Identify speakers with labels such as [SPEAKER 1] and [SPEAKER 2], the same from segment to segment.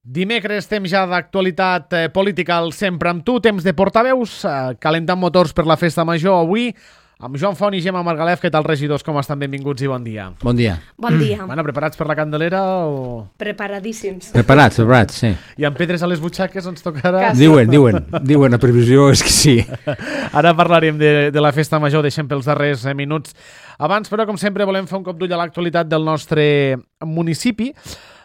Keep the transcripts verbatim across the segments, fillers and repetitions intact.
[SPEAKER 1] Dimecres, temps ja d'actualitat eh, política al Sempre amb tu, temps de portaveus, eh, calentant motors per la festa major avui, amb Joan Font i Gemma Margalef. Què tal, regidors? Com estan? Benvinguts i bon dia.
[SPEAKER 2] Bon dia.
[SPEAKER 3] Bon dia.
[SPEAKER 1] Bueno, preparats per la Candelera o...?
[SPEAKER 3] Preparadíssims.
[SPEAKER 2] Preparats, preparats, sí.
[SPEAKER 1] I amb pedres a les butxaques ens tocarà...
[SPEAKER 3] Cas.
[SPEAKER 2] Diuen, diuen, diuen, la previsió és que sí.
[SPEAKER 1] Ara parlarem de, de la festa major, deixem pels darrers eh, minuts. Abans, però, com sempre, volem fer un cop d'ull a l'actualitat del nostre municipi.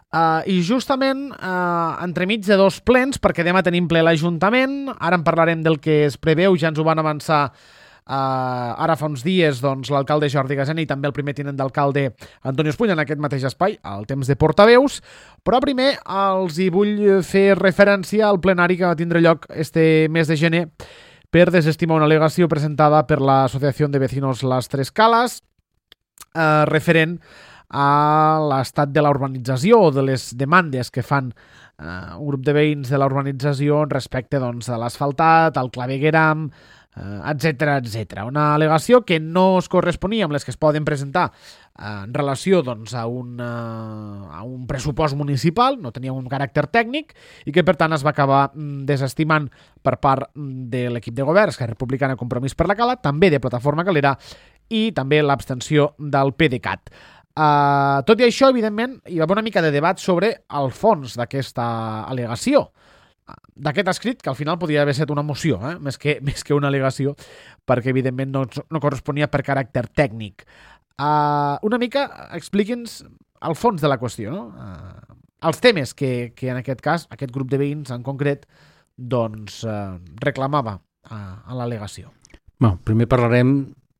[SPEAKER 1] Uh, I justament uh, entremig de dos plens, perquè demà tenim ple l'Ajuntament, ara en parlarem del que es preveu, ja ens ho van avançar uh, ara fa uns dies doncs, l'alcalde Jordi Gasena i també el primer tinent d'alcalde Antonio Espull en aquest mateix espai, al temps de portaveus, però primer els hi vull fer referència al plenari que va tindre lloc este mes de gener per desestimar una al·legació presentada per l'Associació de Vecinos Las Tres Calas, uh, referent a l'estat de la urbanització o de les demandes que fan eh, un grup de veïns de la urbanització respecte doncs, a l'asfaltat, al clavegueram, eh, etcètera, etcètera. Una al·legació que no es corresponia amb les que es poden presentar eh, en relació doncs, a, un, eh, a un pressupost municipal, no tenia un caràcter tècnic i que per tant es va acabar mm, desestimant per part de l'equip de govern, Esquerra Republicana, Compromís per la Cala, també de Plataforma Calera i també l'abstenció del PDeCAT. Uh, tot i això, evidentment, hi va haver una mica de debat sobre el fons d'aquesta al·legació, d'aquest escrit, que al final podria haver estat una moció, eh? més, que, més que una al·legació, perquè evidentment no, no corresponia per caràcter tècnic. Uh, una mica, expliqui'ns el fons de la qüestió, no? Uh, els temes que, que en aquest cas, aquest grup de veïns en concret, doncs uh, reclamava uh, a l'al·legació.
[SPEAKER 2] Bueno, primer parlarem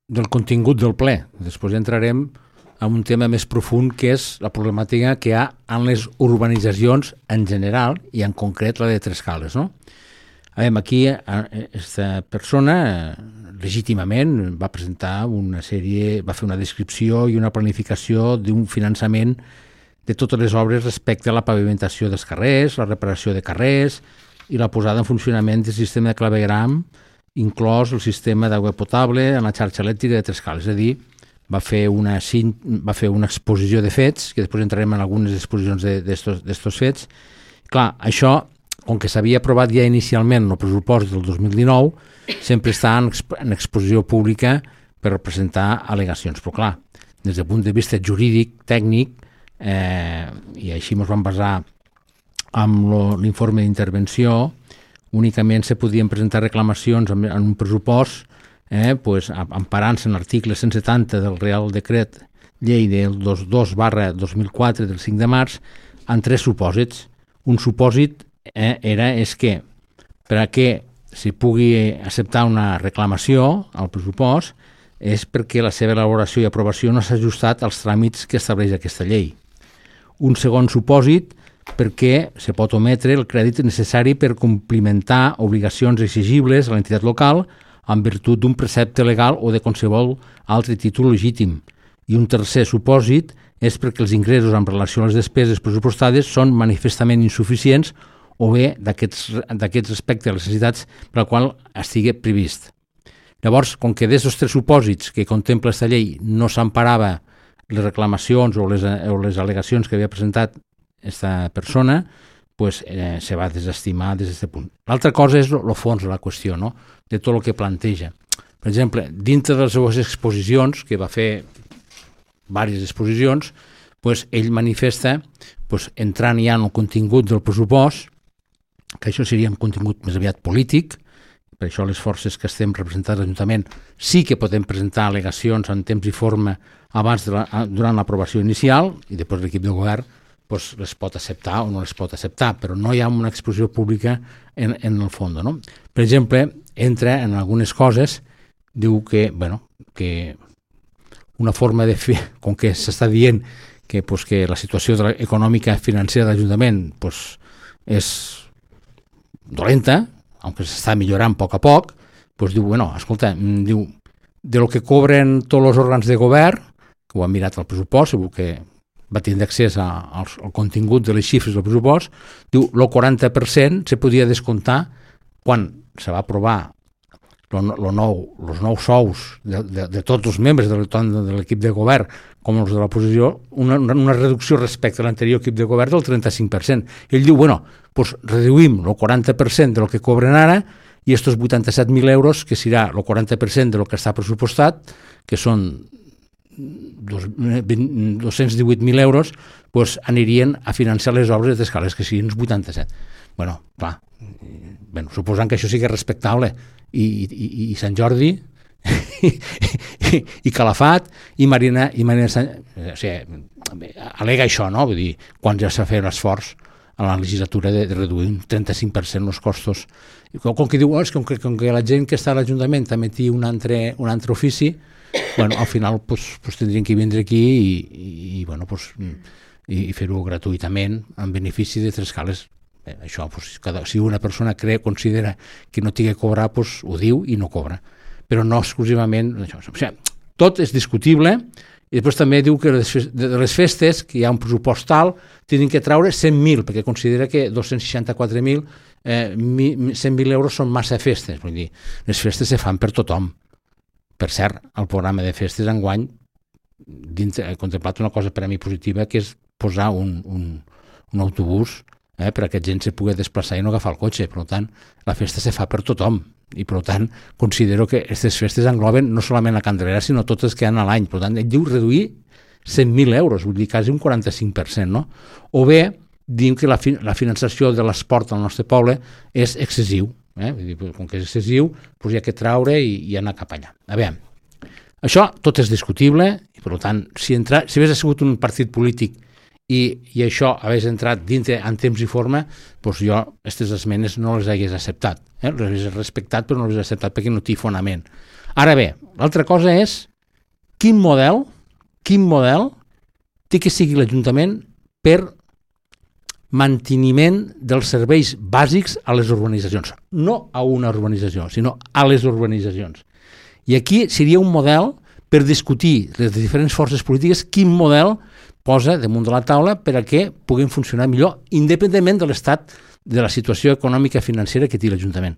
[SPEAKER 2] del contingut del ple, després entrarem amb un tema més profund, que és la problemàtica que hi ha en les urbanitzacions en general i en concret la de Tres Cales, no? A veure, aquí aquesta persona legítimament va presentar una sèrie, va fer una descripció i una planificació d'un finançament de totes les obres respecte a la pavimentació dels carrers, la reparació de carrers i la posada en funcionament del sistema de clavegueram, inclòs el sistema d'aigua potable en la xarxa elèctrica de Tres Cales, és a dir, va fer una, va fer una exposició de fets, que després entrarem en algunes exposicions d'estos fets. Clar, això, com que s'havia aprovat ja inicialment el pressupost del dos mil dinou, sempre està en, exp en exposició pública per presentar al·legacions. Però clar, des del punt de vista jurídic, tècnic, eh, i així ens vam basar amb l'informe d'intervenció, únicament se podien presentar reclamacions en, en un pressupost Eh, pues, emparant-se en l'article cent setanta del Real Decret Llei del vint dos barra dos mil quatre del cinc de març, en tres supòsits. Un supòsit eh, era és que per a què s'hi pugui acceptar una reclamació al pressupost és perquè la seva elaboració i aprovació no s'ha ajustat als tràmits que estableix aquesta llei. Un segon supòsit perquè se pot ometre el crèdit necessari per complimentar obligacions exigibles a l'entitat local en virtut d'un precepte legal o de qualsevol altre títol legítim. I un tercer supòsit és perquè els ingressos en relació a les despeses pressupostades són manifestament insuficients o bé d'aquests respecte a les necessitats per la qual estigui previst. Llavors, com que d'aquests tres supòsits que contempla aquesta llei no s'emparava les reclamacions o les, o les al·legacions que havia presentat aquesta persona, pues, eh, se va desestimar des d'aquest punt. L'altra cosa és el fons de la qüestió, no? De tot el que planteja. Per exemple, dintre de les seues exposicions, que va fer diverses exposicions, pues, ell manifesta, pues, entrant ja en el contingut del pressupost, que això seria un contingut més aviat polític, per això les forces que estem representats a l'Ajuntament sí que podem presentar al·legacions en temps i forma abans de la, durant l'aprovació inicial, i després l'equip de govern pues les pot acceptar o no les pot acceptar, però no hi ha una exposició pública en, en el fons, no? Per exemple, entra en algunes coses, diu que, bueno, que una forma de fer, com que s'està dient que, pues, que la situació econòmica i financera de l'Ajuntament pues, és dolenta, aunque s'està millorant a poc a poc, pues, diu, bueno, escolta, diu, de lo que cobren tots els òrgans de govern, que ho han mirat al pressupost, segur que va tindre accés a, al, al contingut de les xifres del pressupost, diu, el quaranta per cent se podia descomptar quan se va aprovar lo nou, els nous sous de, de, de tots els membres de, de l'equip de govern com els de l'oposició, una, una reducció respecte a l'anterior equip de govern del trenta-cinc per cent. Ell diu, bueno, pues reduïm el quaranta per cent de lo que cobren ara i estos vuitanta-set mil euros, que serà el quaranta per cent de lo que està pressupostat, que són dos-cents divuit mil euros, pues anirien a financiar les obres d'escales, que siguin uns vuitanta-set. Bueno, clar, bueno, suposant que això sigui respectable, i, i, i Sant Jordi i, i, i Calafat i Marina i Marina Sant... o sigui, alega això, no? Vull dir, quan ja s'ha fet l'esforç a la legislatura de, de reduir un trenta-cinc per cent els costos. Com, com que diu, oh, és com que, com que la gent que està a l'Ajuntament també té un altre, un altre ofici, bueno, al final pues, pues, tindrien que vindre aquí i, i, i, bueno, pues, i, i fer-ho gratuïtament en benefici de tres cales. Bé, això, pues, cada, si una persona cree, considera que no té que cobrar, pues, ho diu i no cobra. Però no exclusivament... Això. O sigui, tot és discutible, i després també diu que de les festes, que hi ha un pressupost tal, tenen que traure cent mil, perquè considera que dos-cents seixanta-quatre mil, eh, cent mil euros són massa festes. Vull dir, les festes se fan per tothom. Per cert, el programa de festes enguany ha contemplat una cosa per a mi positiva, que és posar un, un, un autobús eh, per a que gent se pugui desplaçar i no agafar el cotxe. Per tant, la festa se fa per tothom i per tant considero que aquestes festes engloben no solament la Candelera sinó totes que hi ha a l'any. Per tant, ell diu reduir cent mil euros, vull dir quasi un quaranta-cinc per cent, no? O bé diu que la, fi, la finançació de l'esport al nostre poble és excessiu. Eh? Vull dir, com que és excessiu, doncs hi ha que traure i, i anar cap allà. A veure, això tot és discutible i per tant, si, entra, si hagués sigut un partit polític i, i això hagués entrat dintre en temps i forma, doncs jo aquestes esmenes no les hagués acceptat. Eh? Les hagués respectat però no les hagués acceptat perquè no té fonament. Ara bé, l'altra cosa és quin model, quin model té que seguir l'Ajuntament per manteniment dels serveis bàsics a les urbanitzacions. No a una urbanització, sinó a les urbanitzacions. I aquí seria un model per discutir les diferents forces polítiques quin model posa damunt de la taula per a que puguin funcionar millor independentment de l'estat de la situació econòmica i financera que té l'Ajuntament.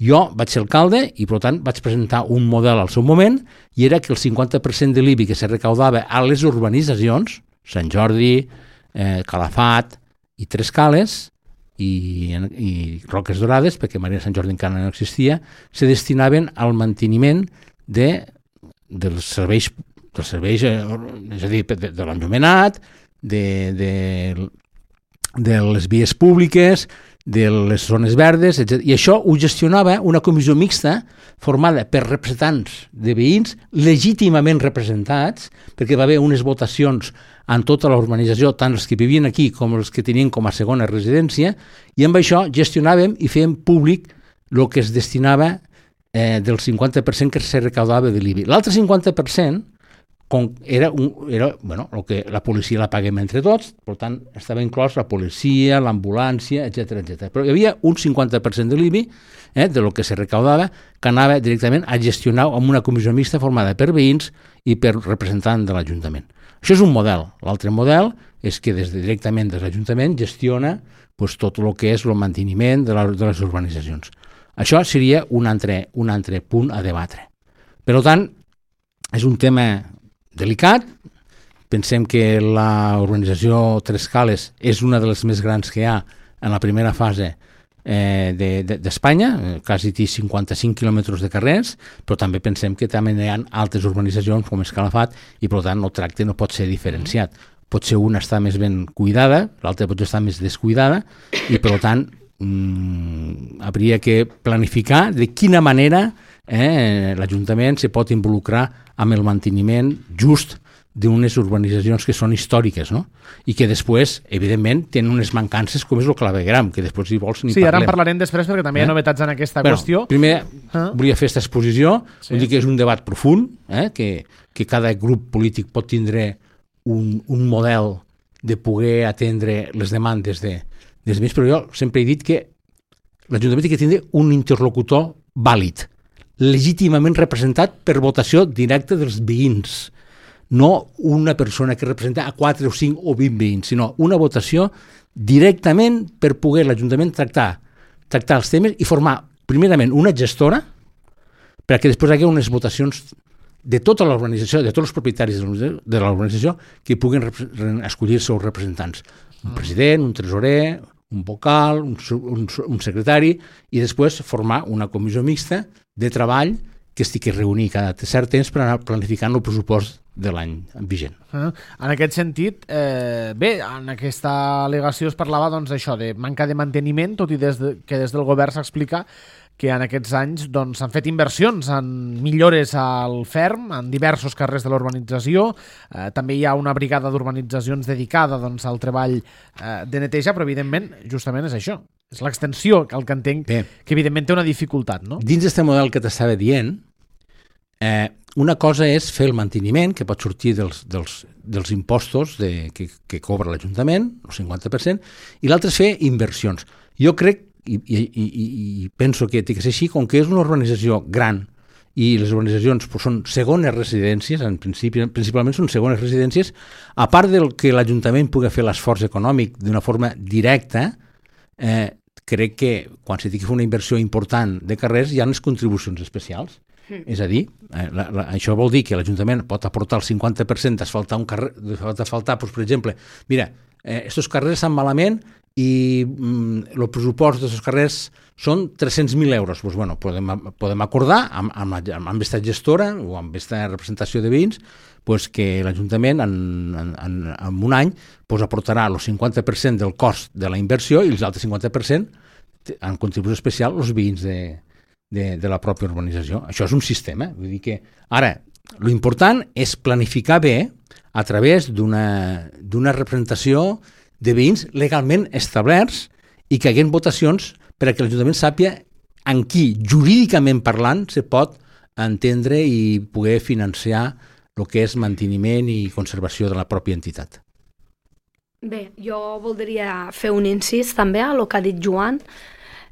[SPEAKER 2] Jo vaig ser alcalde i, per tant, vaig presentar un model al seu moment i era que el cinquanta per cent de l'I B I que se recaudava a les urbanitzacions, Sant Jordi, eh, Calafat i Tres Cales i, i Roques Dorades, perquè Maria Sant Jordi encara no existia, se destinaven al manteniment de, dels serveis, dels serveis eh, és a dir, de, de l'enllumenat, de, de, de les vies públiques, de les zones verdes, etcètera. I això ho gestionava una comissió mixta formada per representants de veïns legítimament representats, perquè va haver unes votacions en tota la urbanització, tant els que vivien aquí com els que tenien com a segona residència, i amb això gestionàvem i fèiem públic el que es destinava eh, del cinquanta per cent que se recaudava de l'I B I. L'altre cinquanta per cent com era, un, era bueno, el que la policia la paguem entre tots, per tant, estava inclòs la policia, l'ambulància, etcètera, etcètera. Però hi havia un cinquanta per cent de l'I B I, eh, de lo que se recaudava, que anava directament a gestionar amb una comissió mixta formada per veïns i per representants de l'Ajuntament. Això és un model. L'altre model és que des de, directament des de l'Ajuntament gestiona pues, tot el que és el manteniment de, la, de les urbanitzacions. Això seria un altre, un altre punt a debatre. Per tant, és un tema delicat. Pensem que la urbanització Tres Cales és una de les més grans que hi ha en la primera fase eh, d'Espanya, de, de, quasi té cinquanta-cinc quilòmetres de carrers, però també pensem que també hi ha altres urbanitzacions com és Calafat i per tant el tracte no pot ser diferenciat. Potser una està més ben cuidada, l'altra pot estar més descuidada i per tant mmm, hauria que planificar de quina manera eh, l'Ajuntament se pot involucrar amb el manteniment just d'unes urbanitzacions que són històriques, no? I que després, evidentment, tenen unes mancances com és el clavegram, que després, si vols, n'hi
[SPEAKER 1] sí,
[SPEAKER 2] parlem. Sí,
[SPEAKER 1] ara en parlarem després perquè també eh? hi ha novetats en aquesta
[SPEAKER 2] bueno,
[SPEAKER 1] qüestió.
[SPEAKER 2] Primer, ah. volia fer aquesta exposició, sí. Vull dir que és un debat profund, eh? que, que cada grup polític pot tindre un, un model de poder atendre les demandes de, dels veïns, però jo sempre he dit que l'Ajuntament té que tindre un interlocutor vàlid, legítimament representat per votació directa dels veïns, no una persona que representa a quatre o cinc o vint veïns, sinó una votació directament per poder l'Ajuntament tractar, tractar els temes i formar, primerament, una gestora perquè després hi hagi unes votacions de tota l'organització, de tots els propietaris de l'organització que puguin escollir els seus representants. Un president, un tresorer, un vocal, un, un, un secretari, i després formar una comissió mixta de treball que estigui reunir cada cert temps per anar planificant el pressupost de l'any vigent.
[SPEAKER 1] Uh, en aquest sentit, eh, bé, en aquesta al·legació es parlava doncs, això de manca de manteniment, tot i des de, que des del govern s'explica que en aquests anys doncs, s'han fet inversions en millores al ferm, en diversos carrers de l'urbanització. Eh, també hi ha una brigada d'urbanitzacions dedicada doncs, al treball eh, de neteja, però evidentment justament és això. És l'extensió que el que entenc Bé, que evidentment té una dificultat. No?
[SPEAKER 2] Dins d'aquest model que t'estava dient, eh, una cosa és fer el manteniment, que pot sortir dels, dels, dels impostos de, que, que cobra l'Ajuntament, el cinquanta per cent, i l'altre és fer inversions. Jo crec I, i, i, i penso que té que ser així, com que és una urbanització gran i les urbanitzacions pues, són segones residències, en principi, principalment són segones residències, a part del que l'Ajuntament pugui fer l'esforç econòmic d'una forma directa, eh, crec que quan se tingui una inversió important de carrers hi ha unes contribucions especials. Mm. És a dir, eh, la, la, això vol dir que l'Ajuntament pot aportar el cinquanta per cent d'asfaltar un carrer, d'asfaltar, pues, per exemple, mira, eh, estos carrers estan malament i mm, el pressupost d'aquests carrers són tres-cents mil euros. Pues, bueno, podem, podem acordar amb, amb, amb aquesta gestora o amb aquesta representació de veïns pues, que l'Ajuntament en, en, en, en un any pues, aportarà el cinquanta per cent del cost de la inversió i els altres cinquanta per cent en contribució especial els veïns de, de, de la pròpia urbanització. Això és un sistema. Vull dir que ara, l'important és planificar bé a través d'una d'una representació de veïns legalment establerts i que hi hagi votacions perquè l'Ajuntament sàpia en qui, jurídicament parlant, se pot entendre i poder financiar el que és manteniment i conservació de la pròpia entitat.
[SPEAKER 3] Bé, jo voldria fer un incís també a el que ha dit Joan.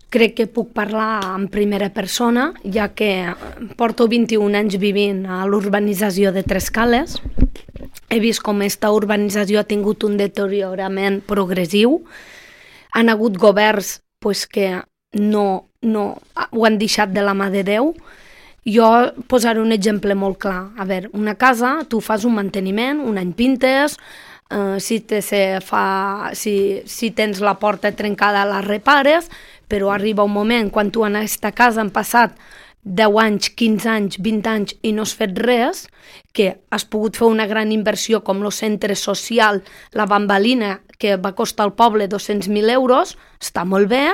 [SPEAKER 3] Crec que puc parlar en primera persona, ja que porto vint-i-un anys vivint a l'urbanització de Tres Cales. He vist com aquesta urbanització ha tingut un deteriorament progressiu. Han hagut governs pues, que no, no ho han deixat de la mà de Déu. Jo posaré un exemple molt clar. A veure, una casa, tu fas un manteniment, un any pintes, eh, si, te se fa, si, si tens la porta trencada la repares, però arriba un moment quan tu en aquesta casa han passat deu anys, quinze anys, vint anys i no has fet res, que has pogut fer una gran inversió com el centre social, la bambalina, que va costar al poble dos-cents mil euros, està molt bé,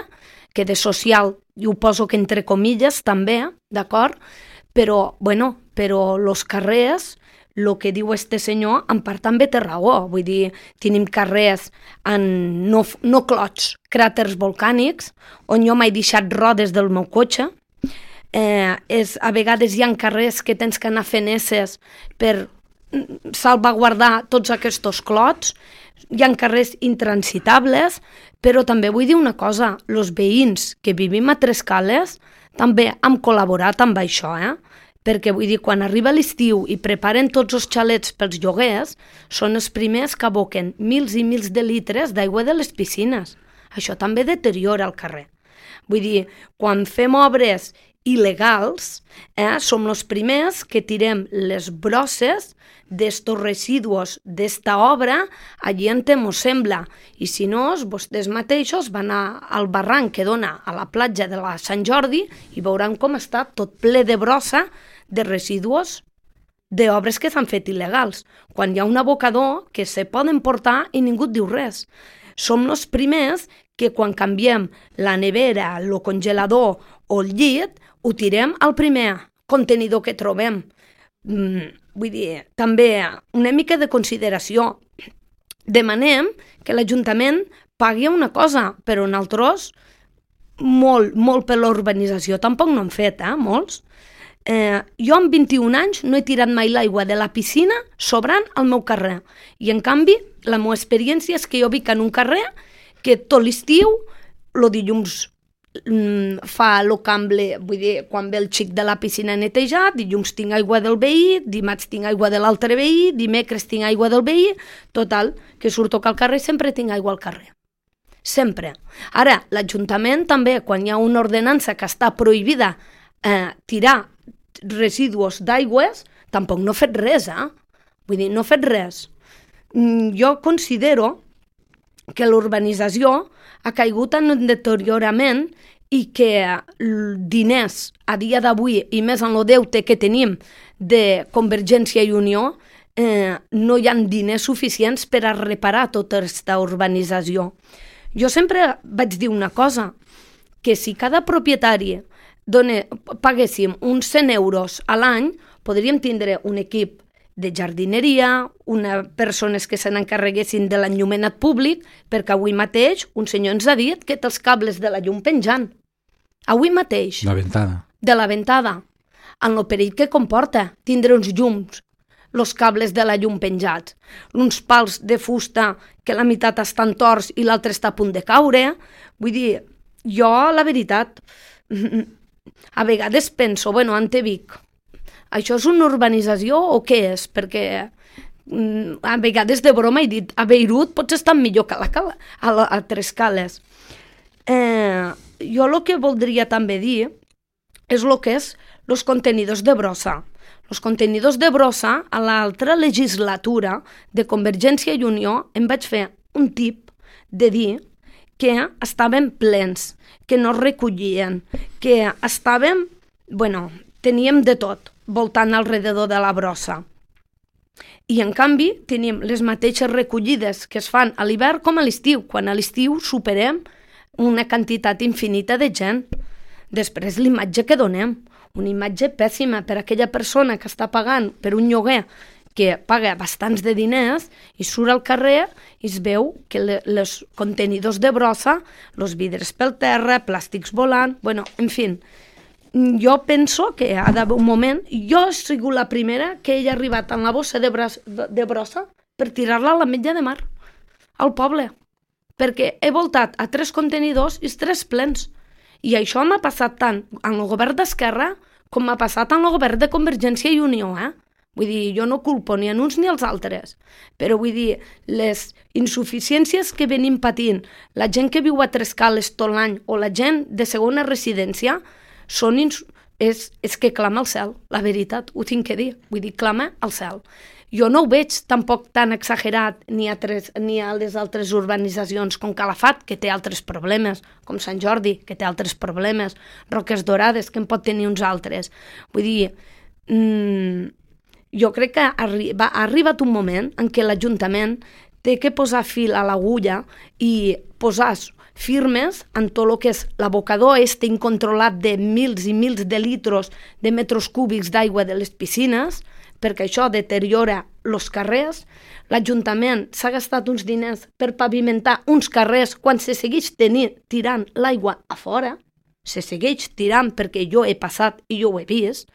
[SPEAKER 3] que de social, i ho poso que entre comilles també, d'acord? Però, bueno, però els carrers, el que diu este senyor, en part també té raó. Vull dir, tenim carrers en no, no clots, cràters volcànics, on jo m'he deixat rodes del meu cotxe. Eh, és, a vegades hi ha carrers que tens que anar fent esses per salvaguardar tots aquests clots. Hi ha carrers intransitables, però també vull dir una cosa, els veïns que vivim a Tres Cales també hem col·laborat amb això, eh? Perquè vull dir, quan arriba l'estiu i preparen tots els xalets pels lloguers, són els primers que aboquen mils i mils de litres d'aigua de les piscines. Això també deteriora el carrer. Vull dir, quan fem obres il·legals, eh, som els primers que tirem les brosses d'estos residus d'esta obra allí on mos sembla. I si no, vostès mateixos van al barranc que dona a la platja de la Sant Jordi i veuran com està tot ple de brossa de residus d'obres que s'han fet il·legals, quan hi ha un abocador que se poden portar i ningú et diu res. Som els primers que quan canviem la nevera, el congelador o el llit, ho tirem al primer contenidor que trobem. Mm, vull dir, també una mica de consideració. Demanem que l'Ajuntament pagui una cosa, però nosaltres molt, molt per l'urbanització tampoc no hem fet, eh, molts. Eh, jo amb vint-i-un anys no he tirat mai l'aigua de la piscina sobrant al meu carrer. I en canvi, la meva experiència és que jo vic en un carrer que tot l'estiu, el dilluns mm, fa el canvi, vull dir, quan ve el xic de la piscina netejat, dilluns tinc aigua del veí, dimarts tinc aigua de l'altre veí, dimecres tinc aigua del veí, total, que surto al carrer sempre tinc aigua al carrer. Sempre. Ara, l'Ajuntament també, quan hi ha una ordenança que està prohibida eh, tirar residus d'aigües, tampoc no ha fet res, eh? Vull dir, no ha fet res. Jo considero que l'urbanització ha caigut en un deteriorament i que diners a dia d'avui, i més en el deute que tenim de Convergència i Unió, eh, no hi ha diners suficients per a reparar tota aquesta urbanització. Jo sempre vaig dir una cosa, que si cada propietari done, paguéssim uns cent euros a l'any, podríem tindre un equip de jardineria, una persones que se n'encarreguessin de l'enllumenat públic, perquè avui mateix un senyor ens ha dit que té els cables de la llum penjant. Avui mateix.
[SPEAKER 2] La ventada.
[SPEAKER 3] De la ventada. En el perill que comporta tindre uns llums, els cables de la llum penjats, uns pals de fusta que la meitat estan torts i l'altre està a punt de caure. Vull dir, jo, la veritat, a vegades penso, bueno, Ante Vic, això és una urbanització o què és? Perquè a vegades de broma he dit, a Beirut potser estan millor que a, la cala, a, la, a Tres Cales. Eh, jo el que voldria també dir és el que és els contenidors de brossa. Els contenidors de brossa, a l'altra legislatura de Convergència i Unió, em vaig fer un tip de dir que estaven plens, que no recollien, que estàvem, bueno, teníem de tot voltant alrededor de la brossa. I en canvi tenim les mateixes recollides que es fan a l'hivern com a l'estiu, quan a l'estiu superem una quantitat infinita de gent. Després l'imatge que donem, una imatge pèssima per a aquella persona que està pagant per un lloguer que paga bastants de diners i surt al carrer i es veu que els contenidors de brossa, els vidres pel terra, plàstics volant, bueno, en fi, jo penso que ha d'haver un moment, jo he sigut la primera que he arribat amb la bossa de, bros, de brossa per tirar-la a la metlla de mar, al poble, perquè he voltat a tres contenidors i tres plens. I això m'ha passat tant en el govern d'Esquerra com m'ha passat en el govern de Convergència i Unió, eh? Vull dir, jo no culpo ni a uns ni als altres, però vull dir, les insuficiències que venim patint, la gent que viu a Tres Cales tot l'any o la gent de segona residència, són ins... és, és que clama al cel, la veritat, ho tinc que dir, vull dir, clama al cel. Jo no ho veig tampoc tan exagerat ni a, tres, ni a les altres urbanitzacions com Calafat, que té altres problemes, com Sant Jordi, que té altres problemes, Roques Dorades, que en pot tenir uns altres. Vull dir, mmm, jo crec que arri va, ha arribat un moment en què l'Ajuntament té que posar fil a l'agulla i posar firmes en tot el que és l'abocador este incontrolat de mils i mils de litros de metres cúbics d'aigua de les piscines, perquè això deteriora els carrers. L'Ajuntament s'ha gastat uns diners per pavimentar uns carrers quan se segueix tenir, tirant l'aigua a fora, se segueix tirant perquè jo he passat i jo ho he vist.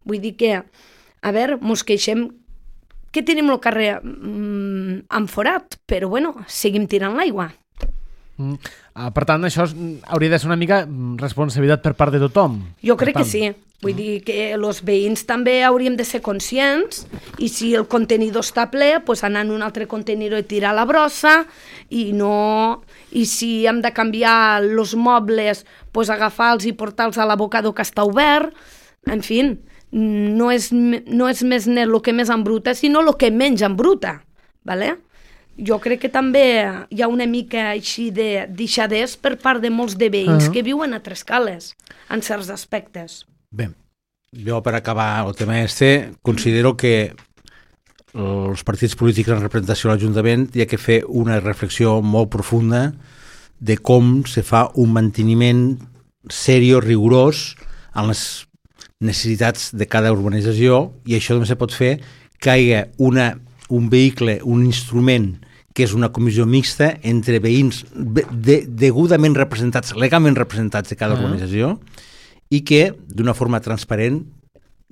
[SPEAKER 3] Vull dir que, a veure, mos queixem que tenim el carrer mm, enforat, però bueno, seguim tirant l'aigua.
[SPEAKER 1] Mm. Uh, per tant, això hauria de ser una mica responsabilitat per part de tothom.
[SPEAKER 3] Jo crec que sí. Vull dir que els veïns també hauríem de ser conscients i si el contenidor està ple, pues anar en un altre contenidor i tirar la brossa i no... I si hem de canviar els mobles, pues agafar-los i portar-los a l'abocador que està obert. En fi, no és, no és més net el que més embruta, sinó el que menys embruta. Vale? Jo crec que també hi ha una mica així de deixadès per part de molts de veïns uh-huh. que viuen a Tres Cales, en certs aspectes.
[SPEAKER 2] Bé, jo per acabar el tema este, considero que els partits polítics en representació a l'Ajuntament hi ha que fer una reflexió molt profunda de com se fa un manteniment seriós, rigorós en les necessitats de cada urbanització, i això també se pot fer que hi hagi una, un vehicle, un instrument que és una comissió mixta entre veïns de, degudament representats, legalment representats de cada uh-huh. urbanització, i que d'una forma transparent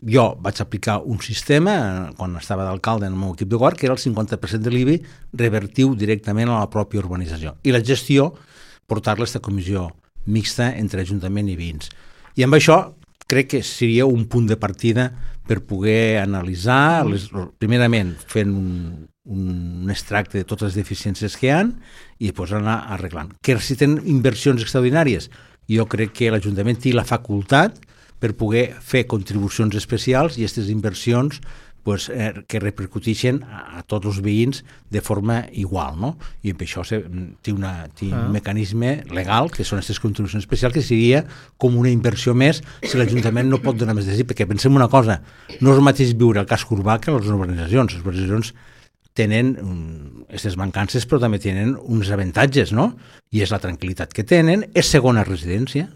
[SPEAKER 2] jo vaig aplicar un sistema quan estava d'alcalde en el meu equip de govern que era el cinquanta per cent de l'I B I revertiu directament a la pròpia urbanització i la gestió portar-la a aquesta comissió mixta entre Ajuntament i veïns. I amb això crec que seria un punt de partida per poder analitzar, les, primerament fent un, un extracte de totes les deficiències que hi ha i després anar arreglant. Que necessiten inversions extraordinàries? Jo crec que l'Ajuntament té la facultat per poder fer contribucions especials i aquestes inversions pues, eh, que repercuteixen a, a tots els veïns de forma igual, no? I per això se, té, una, té ah. un mecanisme legal, que són aquestes contribucions especials, que seria com una inversió més si l'Ajuntament no pot donar més de sí, perquè pensem una cosa, no és el mateix viure al casc urbà que les urbanitzacions. Les urbanitzacions tenen aquestes mancances, però també tenen uns avantatges, no? I és la tranquil·litat que tenen, és segona residència,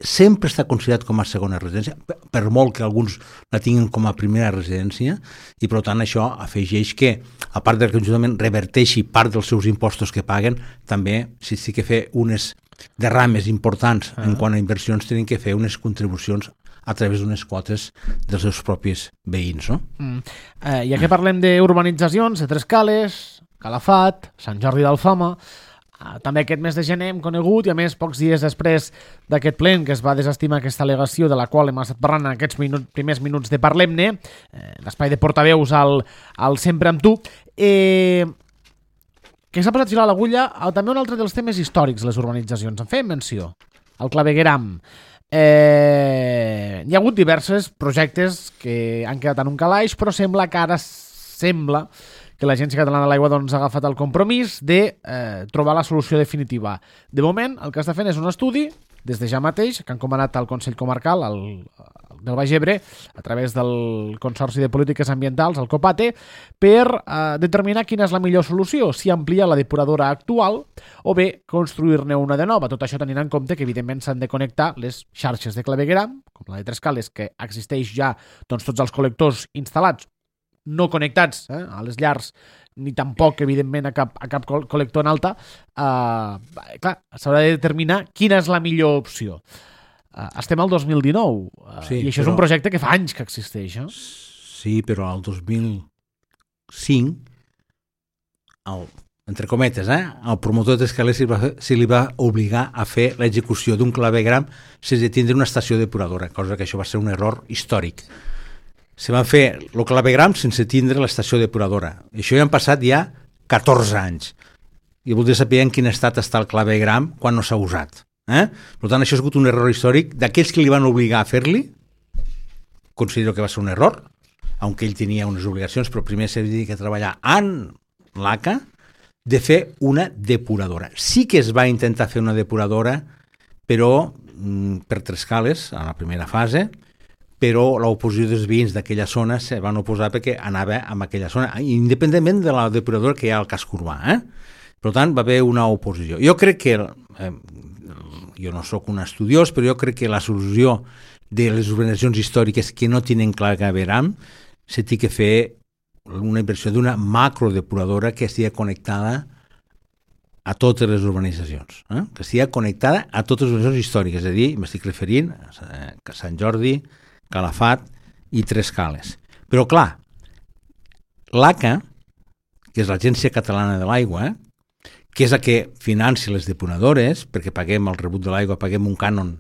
[SPEAKER 2] sempre està considerat com a segona residència, per molt que alguns la tinguin com a primera residència, i per tant això afegeix que, a part que l'Ajuntament reverteixi part dels seus impostos que paguen, també, si sí que fer unes derrames importants ah. en quant a inversions, tenen que fer unes contribucions a través d'unes quotes dels seus propis veïns, no?
[SPEAKER 1] Mm. Eh, ja que parlem d'urbanitzacions, de Trescales, Calafat, Sant Jordi d'Alfama, també aquest mes de gener hem conegut, i a més pocs dies després d'aquest ple que es va desestimar aquesta al·legació de la qual hem estat parlant en aquests minut, primers minuts de Parlem-ne, eh, l'espai de portaveus al, al Sempre amb tu, eh, que s'ha posat fil a l'agulla a també un altre dels temes històrics, les urbanitzacions. En fèiem menció, el clavegueram. Eh, hi ha hagut diversos projectes que han quedat en un calaix, però sembla que ara sembla que l'Agència Catalana de l'Aigua doncs, ha agafat el compromís de eh, trobar la solució definitiva. De moment, el que està fent és un estudi, des de ja mateix, que han comanat al Consell Comarcal el, el del Baix Ebre, a través del Consorci de Polítiques Ambientals, el COPATE, per eh, determinar quina és la millor solució, si ampliar la depuradora actual o bé construir-ne una de nova. Tot això tenint en compte que, evidentment, s'han de connectar les xarxes de clavegueram, com la de Trescales, que existeix ja doncs, tots els col·lectors instal·lats, no connectats eh, a les llars, ni tampoc, evidentment, a cap, a cap col·lector en alta, eh, clar, s'haurà de determinar quina és la millor opció. Eh, estem al dos mil dinou, eh, sí, i això però... és un projecte que fa anys que existeix. Eh?
[SPEAKER 2] Sí, però al dos mil cinc, el, entre cometes, eh, el promotor d'Escales se, se li va obligar a fer l'execució d'un clavegueram sense tindre una estació depuradora, cosa que això va ser un error històric. Se van fer el clavegueram sense tindre l'estació depuradora. Això ja han passat ja catorze anys. I voldria saber en quin estat està el clavegueram quan no s'ha usat. Eh? Per tant, això ha sigut un error històric d'aquells que li van obligar a fer-li. Considero que va ser un error, aunque ell tenia unes obligacions, però primer s'ha de que treballar en l'A C A de fer una depuradora. Sí que es va intentar fer una depuradora, però mm, per Trescales, a la primera fase, però l'oposició dels veïns d'aquella zona se van oposar perquè anava a aquella zona, independentment de la depuradora que hi ha al casc urbà. Eh? Per tant, va haver una oposició. Jo crec que, eh, jo no sóc un estudiós, però jo crec que la solució de les urbanitzacions històriques que no tenen clavegueram se té que fer una inversió d'una macrodepuradora que estigui connectada a totes les urbanitzacions, eh? que estigui connectada a totes les urbanitzacions històriques, és a dir, m'estic referint a Sant Jordi, Calafat i Trescales. Però clar, l'A C A, que és l'Agència Catalana de l'Aigua, eh, que és la que finança les depuradores, perquè paguem el rebut de l'aigua, paguem un cànon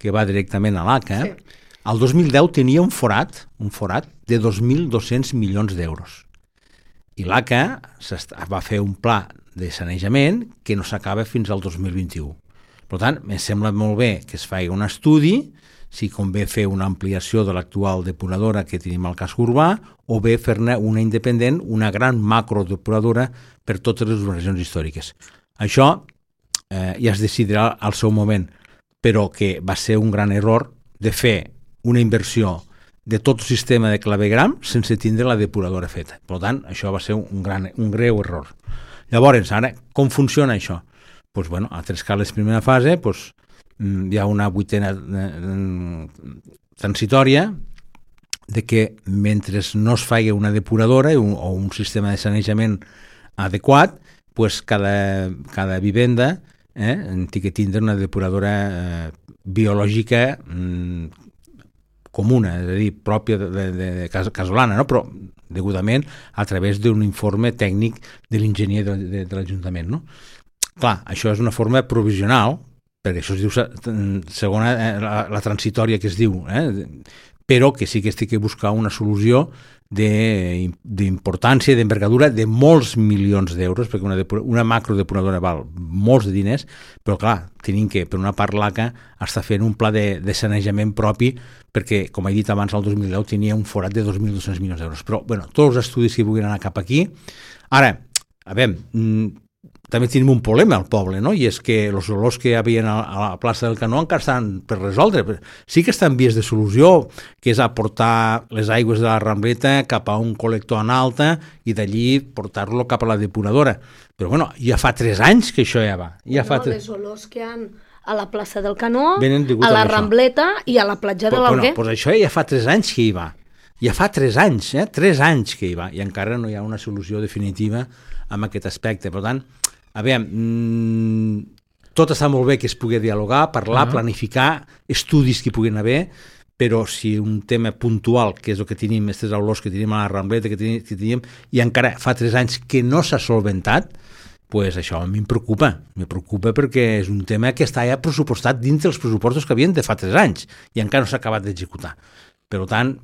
[SPEAKER 2] que va directament a l'A C A, sí. El dos mil deu tenia un forat, un forat de dos mil dos-cents milions d'euros. I l'A C A va fer un pla de sanejament que no s'acaba fins al dos mil vint-i-u. Per tant, em sembla molt bé que es faci un estudi si convé fer una ampliació de l'actual depuradora que tenim al casc urbà o bé fer-ne una independent, una gran macrodepuradora per totes les urbanitzacions històriques. Això eh, ja es decidirà al seu moment, però que va ser un gran error de fer una inversió de tot el sistema de clavegueram sense tindre la depuradora feta. Per tant, això va ser un, gran, un greu error. Llavors, ara, com funciona això? Pues, bueno, a Trescales primera fase, pues, hi ha una vuitena transitòria de que mentre no es faci una depuradora o un sistema de sanejament adequat, pues cada, cada vivenda eh, té que tindre una depuradora eh, biològica mm, comuna, és a dir, pròpia de, de, de casolana, no? Però degudament a través d'un informe tècnic de l'enginyer de, de, de l'Ajuntament. No? Clar, això és una forma provisional, perquè això es diu segona, eh, la, la transitòria que es diu, eh? Però que sí que es té que buscar una solució d'importància, d'envergadura, de molts milions d'euros, perquè una, una macrodepuradora val molts de diners, però clar, tenim que, per una part, l'A C A està fent un pla de, de sanejament propi, perquè, com he dit abans, el dos mil deu tenia un forat de dos mil dos-cents milions d'euros. Però, bueno, tots els estudis que vulguin anar cap aquí. Ara, a veure, també tenim un problema al poble, no? I és que els olors que hi havia a la plaça del Canó encara estan per resoldre. Sí que estan en vies de solució, que és aportar les aigües de la Rambleta cap a un col·lector en alta i d'allí portar-lo cap a la depuradora. Però bueno, ja fa tres anys que això ja va. Ja
[SPEAKER 3] no,
[SPEAKER 2] fa tres...
[SPEAKER 3] les olors que hi ha a la plaça del Canó,
[SPEAKER 2] a
[SPEAKER 3] la Rambleta i a la platja de l'Alguer.
[SPEAKER 2] Bueno, doncs això ja fa tres anys que hi va. Ja fa tres anys, eh? Tres anys que hi va. I encara no hi ha una solució definitiva amb aquest aspecte. Per tant, a veure, mmm, tot està molt bé que es pugui dialogar, parlar, uh -huh. planificar estudis que puguin haver, però si un tema puntual, que és el que tenim, aquestes olors que tenim a la Rambleta, que tenim, que tenim i encara fa tres anys que no s'ha solventat, pues això a mi em preocupa. Me preocupa perquè és un tema que està ja pressupostat dins dels pressupostos que havien de fa tres anys i encara no s'ha acabat d'executar. Per tant,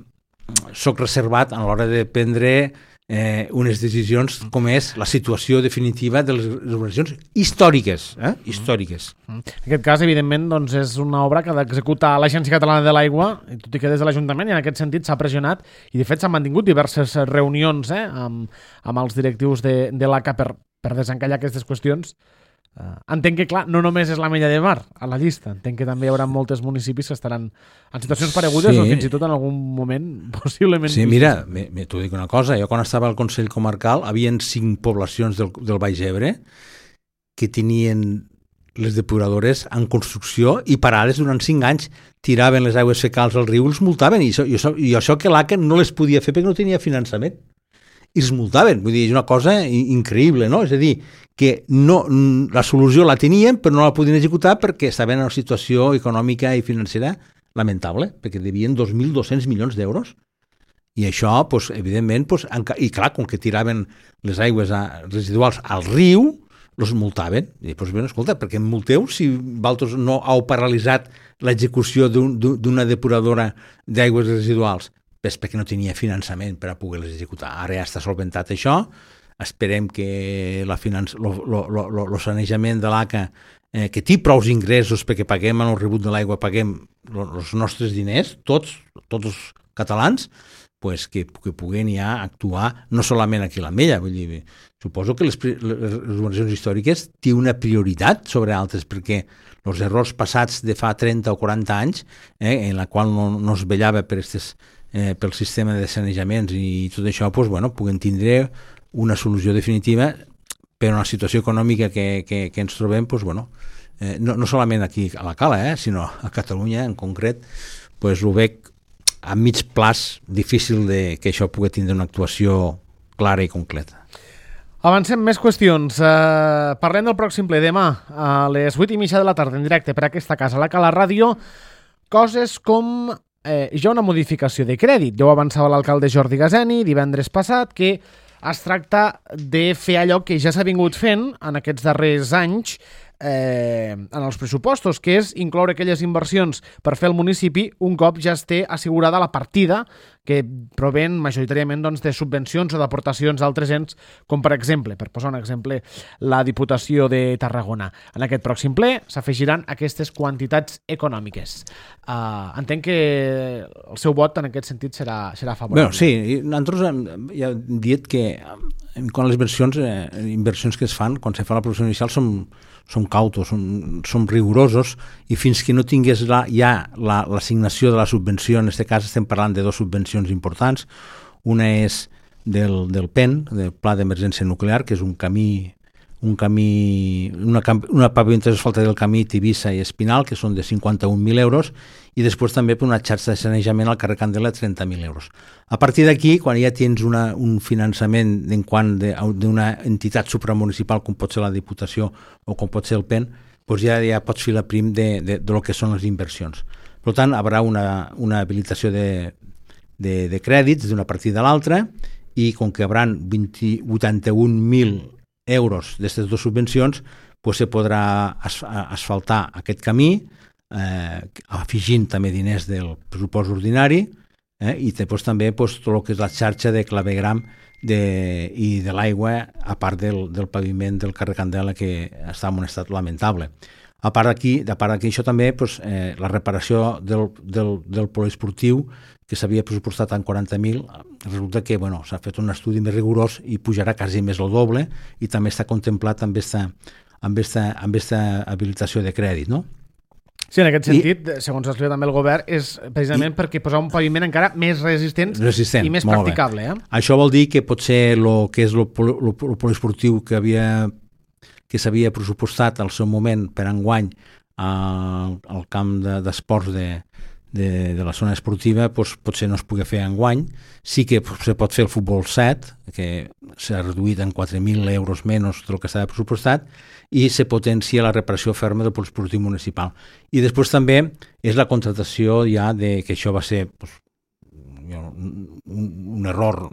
[SPEAKER 2] soc reservat a l'hora de prendre Eh, unes decisions com és la situació definitiva de les urbanitzacions històriques, eh? històriques.
[SPEAKER 1] En aquest cas, evidentment, doncs, és una obra que ha d'executar l'Agència Catalana de l'Aigua, tot i que des de l'Ajuntament, i en aquest sentit s'ha pressionat, i de fet s'han mantingut diverses reunions eh, amb, amb els directius de, de l'A C A per, per desencallar aquestes qüestions. Uh, entenc que, clar, no només és l'Ametlla de Mar a la llista, entenc que també hi haurà molts municipis que estaran en situacions paregudes sí. o fins i tot en algun moment possiblement...
[SPEAKER 2] Sí, mira, t'ho dic una cosa, jo quan estava al Consell Comarcal havien cinc poblacions del, del Baix Ebre que tenien les depuradores en construcció i parades durant cinc anys, tiraven les aigües fecals al riu i els multaven, i això, i això, i això que l'A C A no les podia fer perquè no tenia finançament. I els multaven, vull dir, és una cosa increïble, no? És a dir, que no, la solució la tenien però no la podien executar perquè estaven en una situació econòmica i financera lamentable, perquè devien dos mil dos-cents milions d'euros. I això, doncs, evidentment, doncs, i clar, com que tiraven les aigües residuals al riu, els multaven. I doncs, bé, escolta, perquè em multeu si vosaltres no heu paralitzat l'execució d'una depuradora d'aigües residuals? És perquè no tenia finançament per a poder-les executar. Ara ja està solventat això, esperem que el finanç... sanejament de l'A C A, eh, que té prou ingressos perquè paguem en el rebut de l'aigua, paguem els nostres diners, tots, tots els catalans, pues que, que puguen ja actuar no solament aquí a l'Ametlla. Vull dir, suposo que les, les urbanitzacions històriques té una prioritat sobre altres, perquè els errors passats de fa trenta o quaranta anys, eh, en la qual no, no es vetllava per aquestes Eh, pel sistema de sanejaments i tot això, doncs, bueno, puguen tindre una solució definitiva, però en la situació econòmica que, que, que ens trobem, doncs, bueno, eh, no, no solament aquí a la Cala, eh, sinó a Catalunya en concret, doncs, ho veig a mig plaç difícil de, que això pugui tindre una actuació clara i concreta.
[SPEAKER 1] Avancem més qüestions. Uh, parlem del pròxim ple demà a les vuit i mitja de la tarda en directe per aquesta casa, a la Cala Ràdio. Coses com... Eh, hi ha una modificació de crèdit. Ja ho avançava l'alcalde Jordi Gazeni divendres passat, que es tracta de fer allò que ja s'ha vingut fent en aquests darrers anys eh, en els pressupostos, que és incloure aquelles inversions per fer el municipi un cop ja es té assegurada la partida que proven majoritàriament doncs, de subvencions o d'aportacions d'altres ens, com per exemple, per posar un exemple, la Diputació de Tarragona. En aquest pròxim ple s'afegiran aquestes quantitats econòmiques. Uh, entenc que el seu vot en aquest sentit serà, serà favorable.
[SPEAKER 2] Bueno, sí, nosaltres hem, ja hem dit que quan les inversions, eh, inversions que es fan, quan se fa la producció inicial, som, som cautos, som, som rigorosos, i fins que no tingués la, ja l'assignació la, de la subvenció, en aquest cas estem parlant de dues subvencions importants. Una és del, del P E N, del Pla d'Emergència Nuclear, que és un camí, un camí una, una pavimentació asfalta del camí Tivissa i Espinal, que són de cinquanta-un mil euros, i després també per una xarxa de sanejament al carrer Candela de trenta mil euros. A partir d'aquí, quan ja tens una, un finançament en quant d'una entitat supramunicipal com pot ser la Diputació o com pot ser el P E N, doncs ja, ja pots fer la prim de, de, de lo que són les inversions. Per tant, hi haurà una, una habilitació de, de, de crèdits d'una partida a l'altra, i com que hi haurà vuitanta-un mil euros d'aquestes dues subvencions, doncs se podrà asfaltar aquest camí, eh, afegint també diners del pressupost ordinari, eh? I després també pues, tot el que és la xarxa de clavegram de, i de l'aigua, a part del, del paviment del carrer Candela, que està en un estat lamentable. A part d'aquí, a part d'aquí això també, pues, eh, la reparació del, del, del poliesportiu, que s'havia pressupostat en quaranta mil, resulta que bueno, s'ha fet un estudi més rigorós i pujarà quasi més el doble, i també està contemplat amb aquesta, amb aquesta, amb aquesta habilitació de crèdit, no?
[SPEAKER 1] Sí, en aquest sentit, I, segons explica també el govern, és precisament i, perquè posar un paviment encara més resistent, resistent i més practicable. Eh?
[SPEAKER 2] Això vol dir que potser el que és el poliesportiu que havia que s'havia pressupostat al seu moment per enguany al, al camp d'esports de, de, de la zona esportiva, doncs, potser no es pugui fer enguany. Sí que se pot fer el futbol set, que s'ha reduït en quatre mil euros menys del que estava pressupostat, i se potencia la reparació ferma del poliesportiu municipal. I després també és la contratació ja de que això va ser doncs, un, un error